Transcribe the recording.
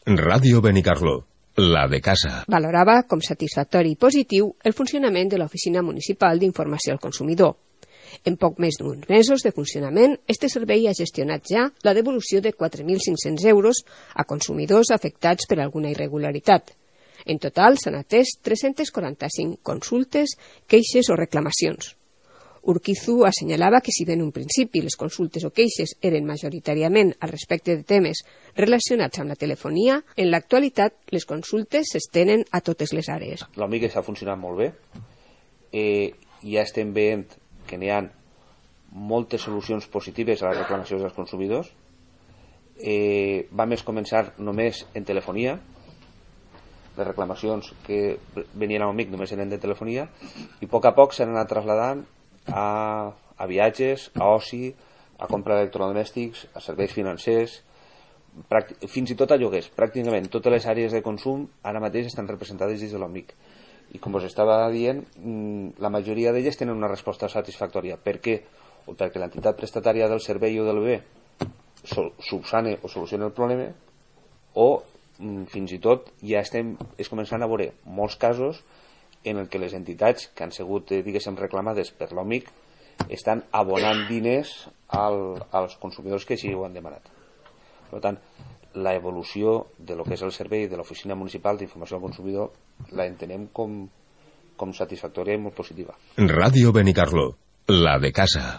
Ràdio Benicarló, la de casa. Valorava com satisfactori i positiu el funcionament de l'Oficina Municipal d'Informació al Consumidor. En poc més d'uns mesos de funcionament, este servei ha gestionat ja la devolució de 4.500 euros a consumidors afectats per alguna irregularitat. En total s'han atès 345 consultes, queixes o reclamacions. Urquizu assenyalava que si bé en un principi les consultes o queixes eren majoritàriament al respecte de temes relacionats amb la telefonia, en l'actualitat les consultes s'estenen a totes les àrees. L'OMIC està funcionant molt bé. Ja estem veient que n'hi ha moltes solucions positives a les reclamacions dels consumidors. Vam començar només en telefonia. Les reclamacions que venien a l'OMIC només eren de telefonia i a poc s'han anat traslladant a viatges, a oci, a compra d'electrodomèstics, a serveis financers, fins i tot a lloguers. Pràcticament totes les àrees de consum ara mateix estan representades dins de l'OMIC. I com us estava dient, la majoria d'elles tenen una resposta satisfactòria. Per què? O perquè l'entitat prestatària del servei o del bé subsane o soluciona el problema, o fins i tot ja és començant a veure molts casos en el que les entitats que han sigut, diguéssim, reclamades per l'OMIC estan abonant diners als consumidors que així ho han demanat. Per tant, la evolució de lo que és el servei de l'Oficina Municipal d'Informació al Consumidor la entenem com satisfactòria i molt positiva. Ràdio Benicarló, la de casa.